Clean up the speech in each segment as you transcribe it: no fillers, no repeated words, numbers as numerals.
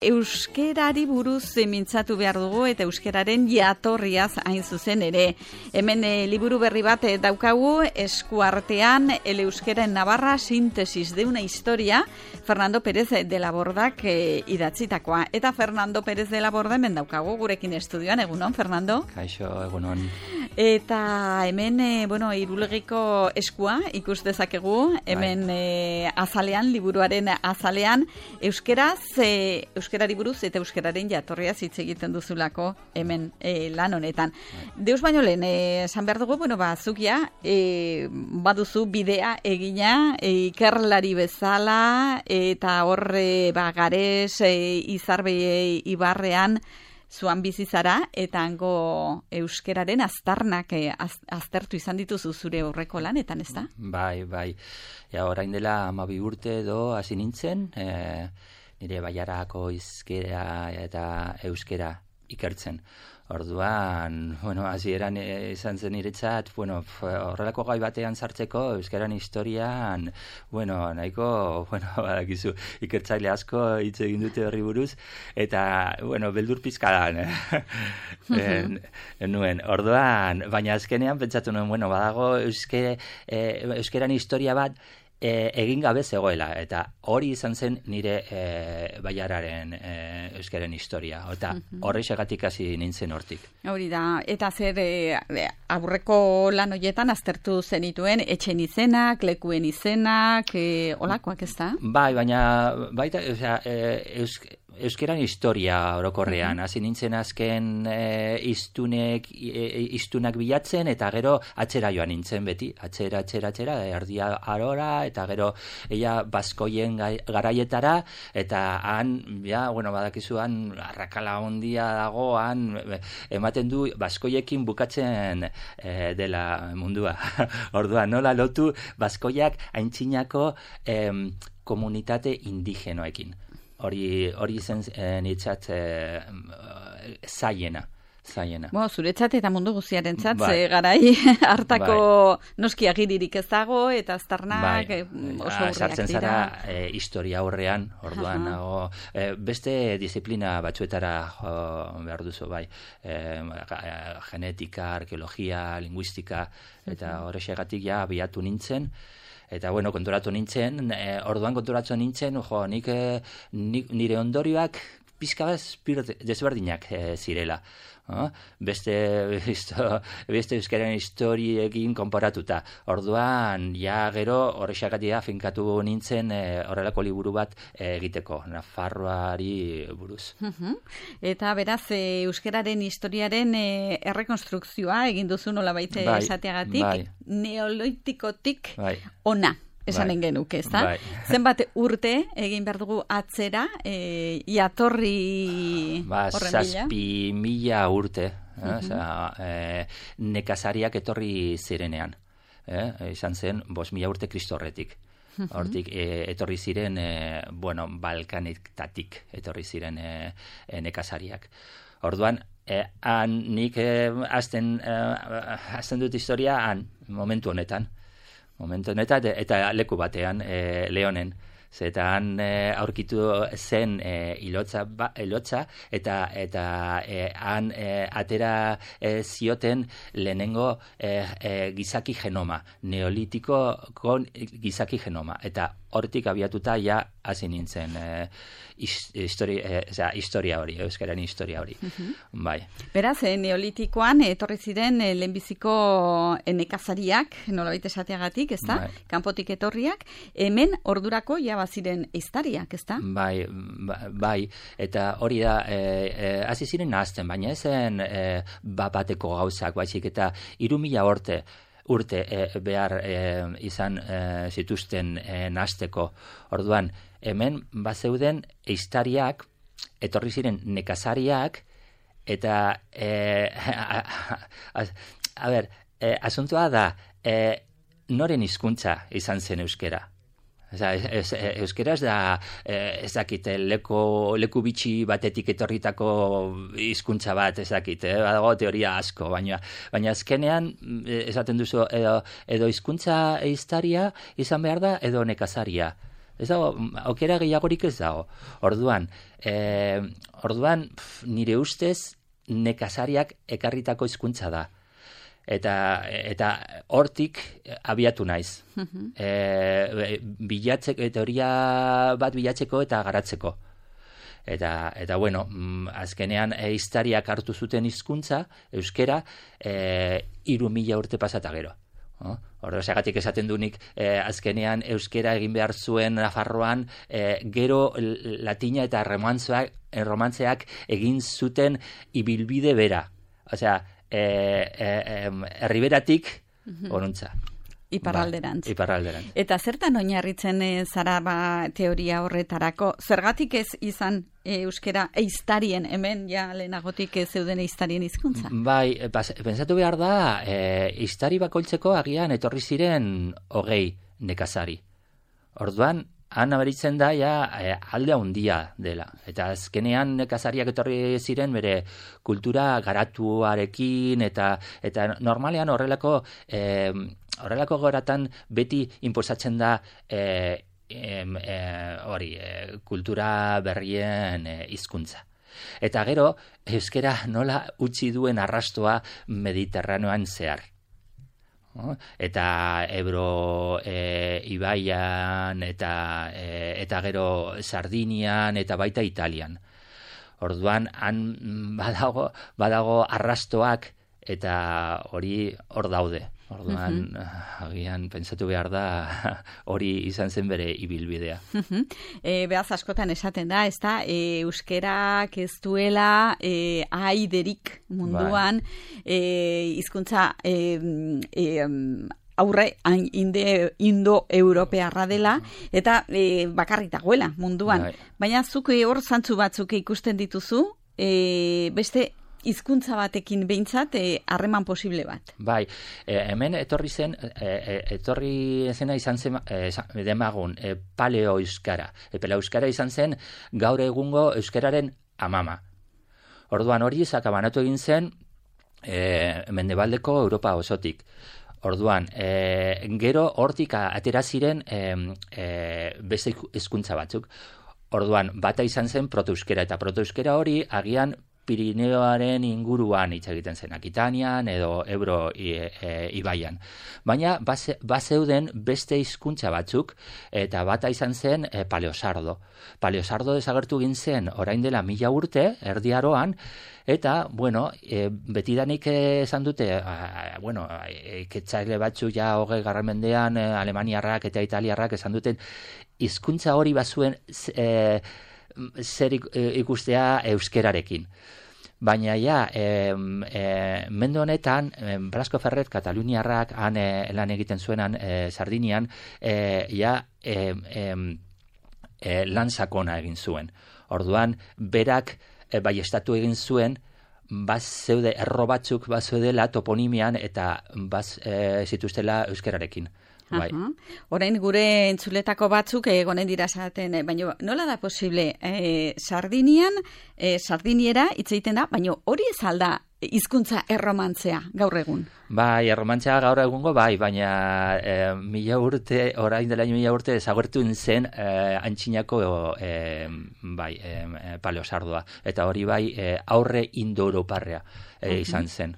Euskerari buruz mintzatu behar dugu eta euskeraren jatorriaz hain zuzen ere. Hemen liburu berri bat daukagu eskuartean El euskera en Navarra, síntesis de una historia, Fernando Pérez de la Bordak idatzitakoa. Eta Fernando Pérez de la Borda hemen daukagu gurekin estudioan. Egunon, Fernando? Kaixo, egunon. Eta hemen, Irulegiko eskua ikus dezakegu, hemen azalean, liburuaren azalean, euskerari buruz eta euskeraren jatorriaz hitz egiten duzulako hemen lan honetan. Deus baino lehen, esan behar dugu, zukia, baduzu bidea egina, ikerlari bezala, eta horre Gares, Izarbe Ibarrean, zuan bizizara, eta hango euskeraren aztarnak aztertu izan dituzu zure horreko lanetan, ez da? Bai. Ja, orain dela 12 urte edo hasi nintzen, nire Baiarako hizkera eta euskera ikertzen. Orduan, hasieran izan zen niretzat, horrelako gai batean sartzeko euskeran historian, nahiko, badakizu, ikertzaile asko hitz egin dute horri buruz, eta, beldur pizkadan, nuen. Orduan, baina azkenean pentsatu nuen, badago euskeran historia bat, egin gabe zegoela, eta hori izan zen nire Baiararen euskaren historia, eta horrexegatik hasi nintzen hortik. Hori da, eta zer aurreko lan horietan aztertu zenituen etxen izenak, lekuen izenak, olakoak ez da? Bai, baina baita, euskeran historia orokorrean, hasi nintzen azken iztunak bilatzen, eta gero atzera joan nintzen beti, atzera, erdia arora, eta gero ella baskoien garaietara, eta han, badakizu han, arrakala ondia dago, han, ematen du baskoiekin bukatzen dela mundua. Orduan, nola lotu baskoiak aintzinako komunitate indigenoekin. Hori zen niretzat zaiena. Zuretzat eta mundu guztiarentzat, garai hartako noski agiririk ez dago, eta aztarnak oso urriak sartzen dira. Zara historia aurrean, orduan beste disiplina batzuetara behar duzu, genetika, arkeologia, linguistika, eta horrexegatik abiatu nintzen. Eta, konturatu nintzen, orduan konturatu nintzen, nik nire ondorioak pizka desberdinak zirela. Beste euskaren historiekin konparatuta. Orduan, gero horrexagatik finkatu nintzen horrelako liburu bat egiteko, Nafarroari buruz. Eta beraz, euskararen historiaren errekonstrukzioa egin duzu nolabait esateagatik, neolitikotik ona. Esanen genuke, ez da? Zenbat urte egin behar dugu atzera, jatorri horren bila? 7.000 urte, nekazariak etorri zirenean. Izan zen 5.000 urte Kristo horretik. Hortik etorri ziren, Balkanetatik etorri ziren nekazariak. Orduan, nik hasten dut historia momentu honetan, eta leku batean, Leonen. Zetan aurkitu zen ilotza, eta han atera zioten lehenengo gizaki genoma, neolitiko gizaki genoma, eta hortik abiatuta hasi nintzen historia hori, euskaren historia hori. Beraz, neolitikoan etorri ziren lehenbiziko nekazariak, nolabait esateagatik, ez da? Kanpotik etorriak, hemen ordurako baziren ehiztariak, ez da? Bai, eta hori da, hasi ziren nahazten, baina ezen bateko gauzak, baizik eta 3.000 urte behar izan zituzten nahazteko. Orduan, hemen bazeuden ehiztariak, etorri ziren nekazariak, eta asuntoa da, noren hizkuntza izan zen euskera? Euskera ez dakit, leku bitxi batetik etorritako hizkuntza bat, ez dakit, badago teoria asko, baina azkenean esaten duzu edo hizkuntza ehiztaria izan behar da, edo nekazaria. Ez dago, aukera gehiagorik ez dago. Orduan, nire ustez, nekazariak ekarritako hizkuntza da. Eta hortik abiatu naiz. Teoria bat bilatzeko eta garatzeko. Eta bueno, azkenean ehiztariak hartu zuten hizkuntza, euskera, 3000 urte pasata gero. Horregatik esaten dunik, azkenean euskera egin behar zuen Nafarroan, gero latina eta romantzeak egin zuten ibilbide bera. Osea, herriberatik onuntza. Iparralderantz. Iparralderantz. Eta zertan oinarritzen zara teoria horretarako? Zergatik ez izan euskera ehiztarien, hemen ja lehenagotik zeuden ehiztarien hizkuntza? Bai, pentsatu behar da, ehiztari bakoitzeko agian etorri ziren 20 nekazari. Orduan, han aberitzen da alde handia dela. Eta azkenean nekazariak etorri ziren bere kultura garatuarekin eta normalean horrelako goratan beti inposatzen da kultura berrien hizkuntza. Eta gero, euskera nola utzi duen arrastoa Mediterraneoan zehar. Eta Ebro ibaian eta gero Sardinian eta baita Italian. Orduan han badago arrastoak eta hori hor daude. Orduan, agian pentsatu behar da hori izan zen bere ibilbidea. Behaz askotan esaten da, ez da, euskerak ez duela ahaiderik munduan, hizkuntza aurre indo-europearra dela, eta bakarrik dagoela munduan. Baina zuk hor zantzu batzuk ikusten dituzu, beste hizkuntza batekin behintzat harreman posible bat. Bai, hemen etorri zena izan zen demagun paleo euskara. Paleo euskara izan zen gaur egungo euskararen amama. Orduan hori banatu egin zen mendebaldeko Europa osotik. Orduan, gero hortik atera ziren beste hizkuntza batzuk. Orduan, bata izan zen protoeuskera, eta protoeuskera hori agian Pirineoaren inguruan hitz egiten zen, Akitanian edo Ebro ibaian. Baina bazeuden beste hizkuntza batzuk, eta bata izan zen paleosardo. Paleosardo desagertu egin zen orain dela 1000 urte, Erdi Aroan, eta, betidanik esan dute, iketzaile batzuk ja 20. mendean, alemaniarrak eta italiarrak esan duten, hizkuntza hori bazuen zer ikustea euskerarekin. Baina mende honetan, Blasco Ferrer, kataluniarrak, han lan egiten zuenan Sardinian, lan sakona egin zuen. Orduan, berak baiestatu egin zuen, zeude erro batzuk zeudela toponimian eta zituztela euskerarekin. Bai. Orain gure entzuletako batzuk egonen dira esaten, baina nola da posible Sardiniera hitz egiten da, baina hori ez alda hizkuntza erromantzea gaur egun? Bai, erromantzea gaur egungo bai, baina 1000 urte, orain dela 1000 urte desagertu zen antzinako paleosardoa. Eta hori bai aurre indo-europarrea izan zen.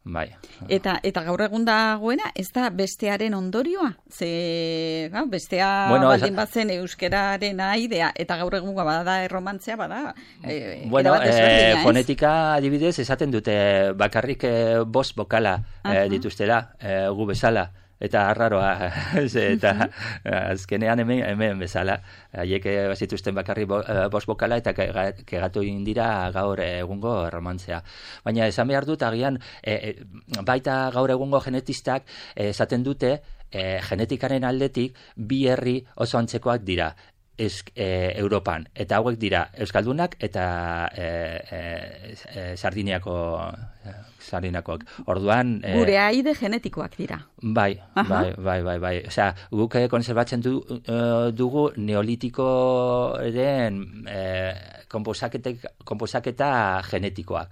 Bai. Eta gaur egun dagoena, ez da bestearen ondorioa? Bestea baldin batzen euskeraren aidea, eta gaur egun bada erromantzea, bada... Fonetika adibidez esaten dute bakarrik 5 bokala dituztela, gu bezala. Eta arraroa, eta azkenean hemen bezala, haiek bazituzten bakarri 5 bokala eta kegatu egin dira gaur egungo erromantzea. Baina esan behar dut, agian, baita gaur egungo genetistak esaten dute, genetikaren aldetik, 2 herri oso antzekoak dira. Europan, eta hauek dira Euskaldunak eta Sardiniakoak. Orduan... Gure aide genetikoak dira. Bai. Osea, guk konserbatzen dugu neolitikoren konposaketa genetikoak.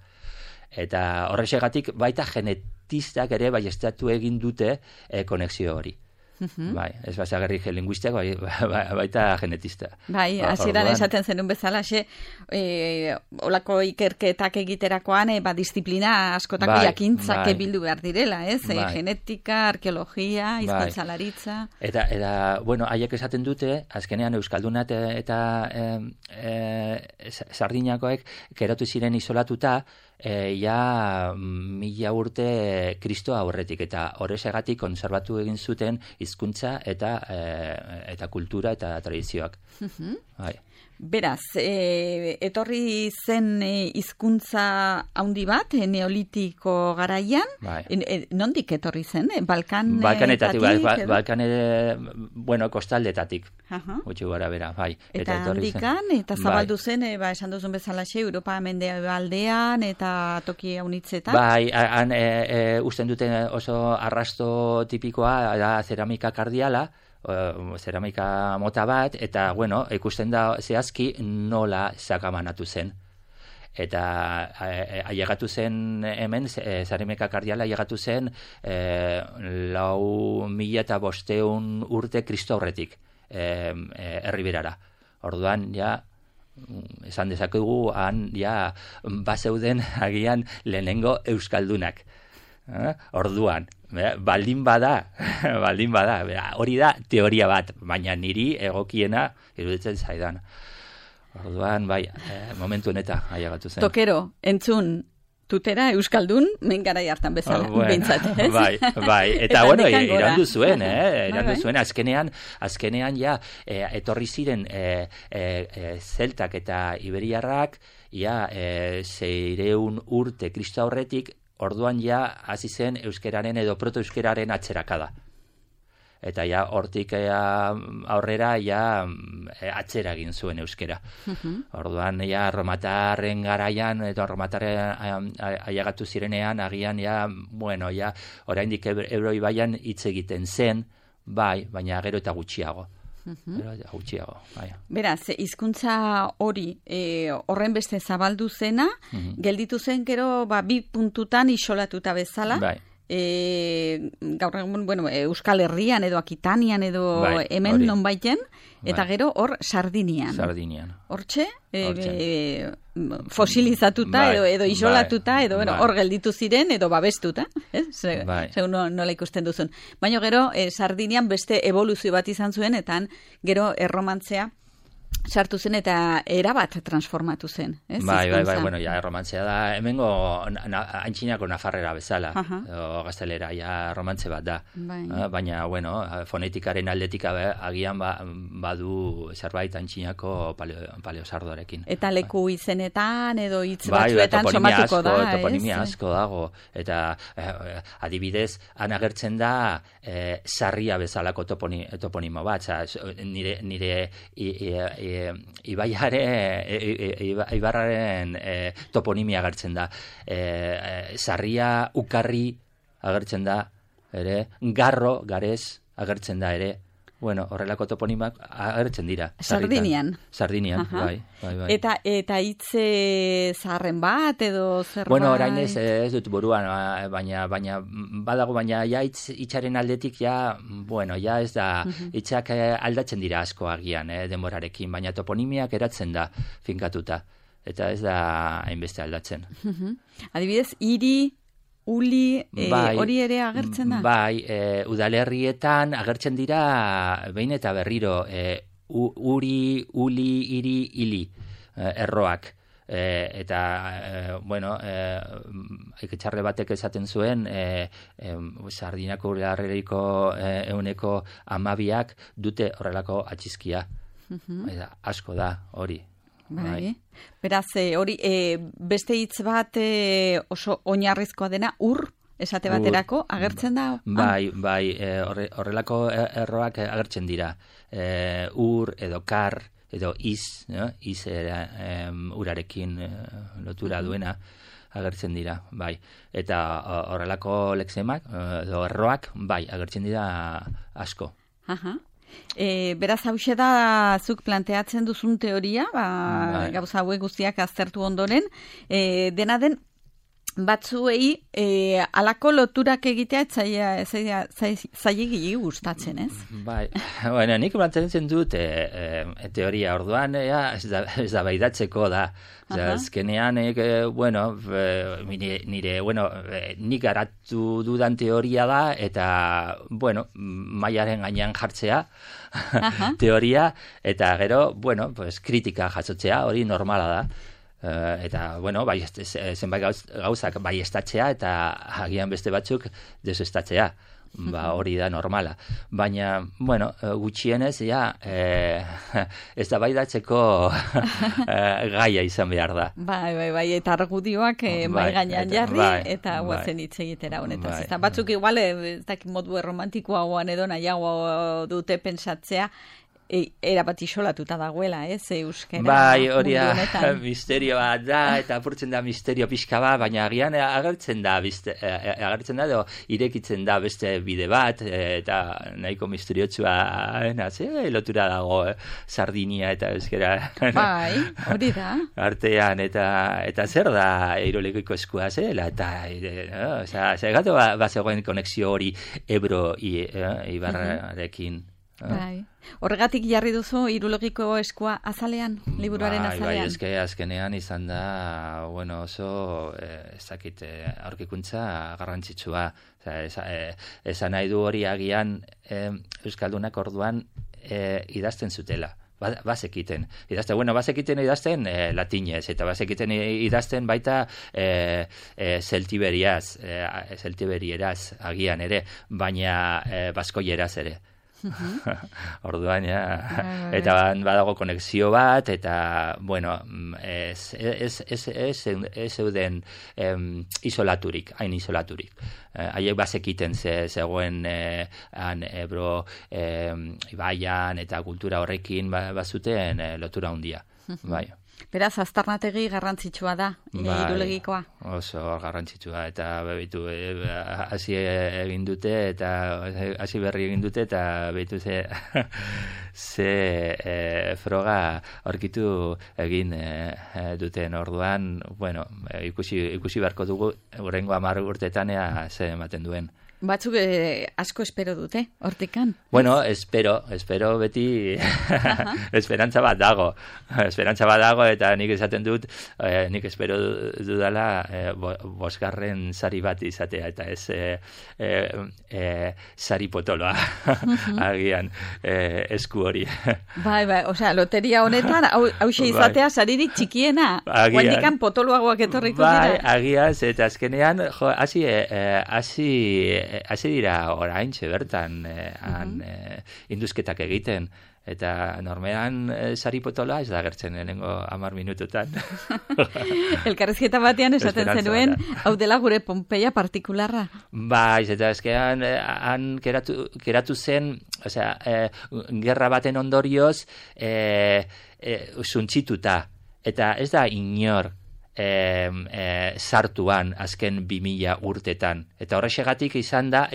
Eta horrexegatik baita genetistak ere baiestatu egin dute konexio hori. Bai, ez basagarrik linguistiak, baita genetista. Bai, hasieran esaten zenun bezala, olako ikerketak egiterakoan, disiplina askotako jakintzak bildu behar direla, ez? Genetika, arkeologia, hizkuntzalaritza. Eta, bueno, haiek esaten dute, azkenean Euskaldunat eta Sardinakoek keratu ziren isolatuta, ja 1000 urte Kristo aurretik, eta horrexegatik konserbatu egin zuten hizkuntza eta kultura eta tradizioak. Bai. Beraz, etorri zen hizkuntza handi bat, neolitiko garaian, nondik etorri zen? Balkanetatik, kostaldetatik, gutxi gara bera, bai. Eta handikan, eta zabaldu zen, esan duzun bezalaxe, Europa mendebaldean, eta toki haunitzetan? Bai, han usten duten oso arrasto tipikoa, da zeramika kardiala, zeramika mota bat, eta, bueno, ikusten da zehazki nola sakabanatu zen. Eta ailegatu zen hemen, zeramika kardiala ailegatu zen 4500 urte Kristo aurretik Erriberara. Orduan, ja, esan dezakegu, han, ja, bazeuden agian lehenengo euskaldunak. Orduan, baldin bada, hori da teoria bat, baina niri egokiena iruditzen zaidan. Orduan, bai, momentu honeta ailegatu zen. Tokero, entzun, tutera euskaldun, mengarai hartan bezala, bintzat, ez? Bai, eta bueno, irandu zuen, azkenean ja, etorri ziren zeltak eta iberiarrak, ja, 600 urte Kristo aurretik, orduan ja hasi zen euskeraren edo protoeuskeraren atzerakada. Eta ja hortik aurrera ja atzera egin zuen euskera. Orduan ja romatarren garaian eta romatarren ailegatu zirenean agian ja, bueno, ja oraindik Ebro ibaian hitz egiten zen, bai, baina gero eta gutxiago. Gutxiago, bai. Beraz, hizkuntza hori horren beste zabaldu zena, gelditu zen gero 2 puntutan isolatuta bezala. Bai. Gaur egun, bueno, Euskal Herrian edo Akitanian edo hemen nonbaiten, eta gero hor Sardinian. Hortxe, fosilizatuta edo isolatuta, edo hor gelditu ziren edo babestuta, segun nola ikusten duzun. Baina gero Sardinian beste evoluzio bat izan zuen, eta gero erromantzea sartu zen eta erabat transformatu zen. Bai, bueno, ja, romantzea da, hemengo antxinako nafarrera bezala, gaztelera, ja, romantze bat da. Baina, bueno, fonetikaren aldetik agian badu zerbait antxinako paleosardoarekin. Eta leku izenetan edo hitz batzuetan somatuko da. Toponimia asko dago, eta adibidez, han agertzen da sarria bezalako toponimo bat, nire Ibarraren toponimia agertzen da. Sarria, ukarri agertzen da, ere, garro, garez agertzen da, ere. Bueno, horrelako toponimak agertzen dira. Sardinian, bai. Eta hitz zaharren bat edo zerbait? Bueno, orain ez dut buruan, baina badago, baina ja hitzaren aldetik ja, bueno, ja ez da, hitzak aldatzen dira asko agian, denborarekin, baina toponimiak eratzen da finkatuta, eta ez da hainbeste aldatzen. Adibidez, hiri, uli, hori ere agertzen da? Bai, udalerrietan agertzen dira behin eta berriro uri, uli, iri, ili erroak. Eta, bueno, iketxarre batek esaten zuen, Sardinako udalerriko 12% dute horrelako atxizkia. Asko da, hori. Bai. Beraz, hori, beste hitz bat oso oinarrizkoa dena, esate baterako, agertzen da? Bai, horrelako erroak agertzen dira. Edo kar, edo iz urarekin lotura duena agertzen dira, bai. Eta horrelako lexemak, edo erroak, bai, agertzen dira asko. Beraz, hause da zuk planteatzen duzun teoria, gauza hauek guztiak aztertu ondoren, dena den batzuei alako loturak egitea zailegi gustatzen, ez? Bai, bueno, nik mantentzen dut teoria orduan, ez da baidatzeko da. Azkenean, nik garatu dudan teoria da, eta, bueno, mailaren gainean jartzea teoria, eta gero, kritika jasotzea, hori normala da. Eta, zenbait gauzak baiestatzea eta agian beste batzuk desestatzea. Hori da normala. Baina, gutxienez, ez da baidatzeko gaia izan behar da. Bai, eta argudioak bai gainean jarri, eta guazen hitz egitera honetaz. Batzuk igual, ez dakit modu romantikoagoan edo nahiago dute pentsatzea, erabat isolatuta dagoela, euskera. Bai, hori misterioa da, eta apurtzen da misterio pixka bat, baina agian agertzen da, edo irekitzen da beste bide bat, eta nahiko misteriotsua, lotura dago, Sardinia eta euskera. Bai, hori da. Artean, eta zer da Irulegiko eskua zela, eta, gato bazegoen konexio hori Ebro Ibarrarekin. Bai. Horregatik jarri duzu Irulegiko eskua azalean, liburuaren azalean? Bai, azkenean izan da, oso, aurkikuntza garrantzitsua. Esan nahi du hori agian Euskaldunak orduan idazten zutela. Bazekiten idazten latinez, eta bazekiten idazten baita zeltiberieraz agian ere, baina baskoieraz ere. Orduan, eta badago konexio bat, eta, ez zeuden isolaturik, hain isolaturik. Haiek bazekiten zegoen Ebro ibaian eta kultura horrekin bazuten lotura handia. Bai. Beraz, aztarnategi garrantzitsua da, Irulegikoa. Oso garrantzitsua, eta bebitu, hasi egin dute, eta hasi berri egin dute, eta bebitu ze froga aurkitu egin duten orduan, ikusi beharko dugu, hurrengo 10 urteetan ze ematen duen. Batzuk asko espero dute, hortikan. Espero beti esperantza bat dago. Eta nik esaten dut, nik espero dudala 5. sari bat izatea, eta ez sari potoloa agian esku hori. Bai, loteria honetan, hause izatea saririk txikiena. Guandikan potoloagoak etorriko dira. Bai, agian, eta azkenean, hasi dira oraintxe bertan induzketak egiten, eta normean sari potola ez da gertzen lehenengo 10 minututan. Elkarrizketa batean esaten zenuen, hau dela gure Pompeia partikularra. Bai, eta azkenean han geratu zen, gerra baten ondorioz suntsituta, eta ez da inor sartuan azken 2000 urtetan. Eta horrexegatik izan da,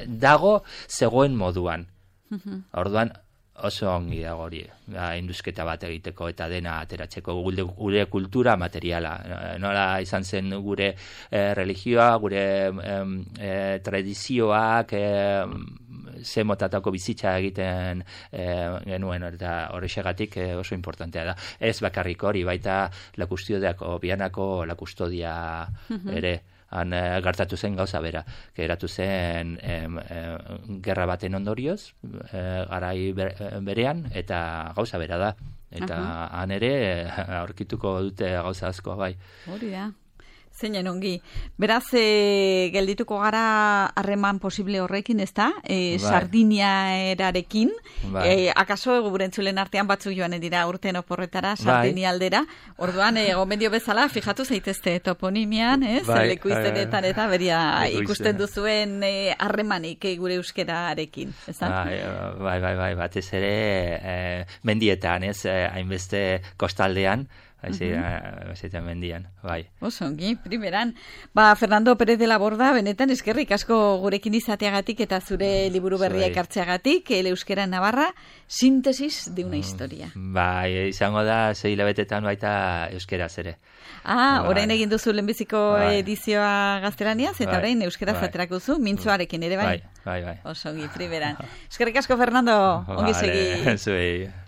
dago zegoen moduan. Orduan, oso ongi dago hori, induzketa bat egiteko eta dena ateratzeko gure kultura materiala. Nola izan zen gure religioa, gure tradizioak, ze motatako bizitza egiten genuen, eta horrexegatik oso importantea da. Ez bakarrik hori, baita lakustiodeako, bianako lakustodia ere, han gertatu zen gauza bera, geratu zen gerra baten ondorioz, garai berean, eta gauza bera da. Eta han ere aurkituko dute gauza asko, bai. Hori da. Zeinen ongi. Beraz, geldituko gara harreman posible horrekin, ez da? Sardiniaerarekin. Akaso gurentzulen artean batzuk joan dira urten oporretara, Sardinia aldera. Orduan, gomendio bezala, fijatu zaitezte toponimian, leku izenetan eta beria ikusten duzuen harremanik gure euskerarekin, ez da? Bai, batez ere mendietan, hainbeste kostaldean, Aizeita mendian, bai. Osongi, primeran. Fernando Pérez de la Borda, benetan eskerrik asko gurekin izateagatik eta zure liburu berria ekartzeagatik, El euskera en Navarra, síntesis de una historia. Bai, izango da 6 hilabetetan baita euskeraz ere. Orain egin duzu lehenbiziko edizioa gaztelaniaz, eta orain euskera zaterako duzu, mintzoarekin ere, bai? Bai. Osongi, primeran. Eskerrik asko, Fernando, ongi segi. Zuei.